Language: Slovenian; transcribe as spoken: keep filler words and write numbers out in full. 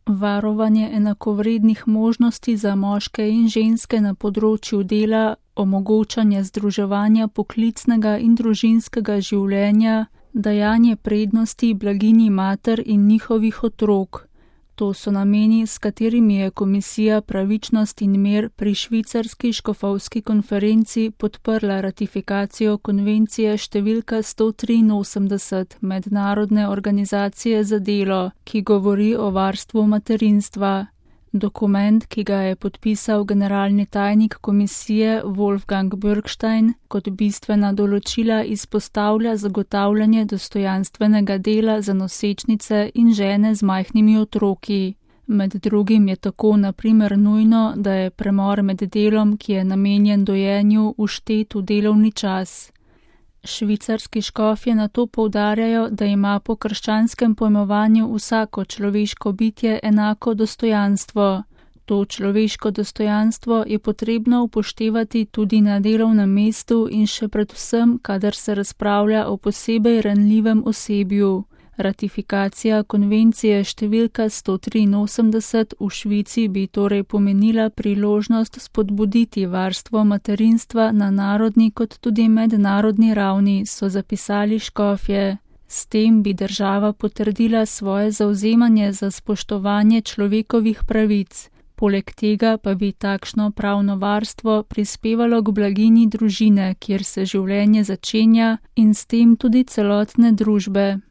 varovanje enakovrednih možnosti za moške in ženske na področju dela, omogočanje združevanja poklicnega in družinskega življenja, dajanje prednosti blaginji mater in njihovih otrok. To so nameni, s katerimi je Komisija Pravičnost in mir pri švicarski škofovski konferenci podprla ratifikacijo konvencije številka sto triinosemdeset Mednarodne organizacije za delo, ki govori o varstvu materinstva. Dokument, ki ga je podpisal generalni tajnik komisije Wolfgang Bürgstein, kot bistvena določila izpostavlja zagotavljanje dostojanstvenega dela za nosečnice in žene z majhnimi otroki. Med drugim je tako na primer nujno, da je premor med delom, ki je namenjen dojenju, vštet v delovni čas. Švicarski škofje na to poudarjajo, da ima po krščanskem pojmovanju vsako človeško bitje enako dostojanstvo. To človeško dostojanstvo je potrebno upoštevati tudi na delovnem mestu in še predvsem, kadar se razpravlja o posebej ranljivem osebju. Ratifikacija konvencije številka sto triinosemdeset v Švici bi torej pomenila priložnost spodbuditi varstvo materinstva na narodni kot tudi mednarodni ravni, so zapisali škofje. S tem bi država potrdila svoje zavzemanje za spoštovanje človekovih pravic. Poleg tega pa bi takšno pravno varstvo prispevalo k blaginji družine, kjer se življenje začenja, in s tem tudi celotne družbe.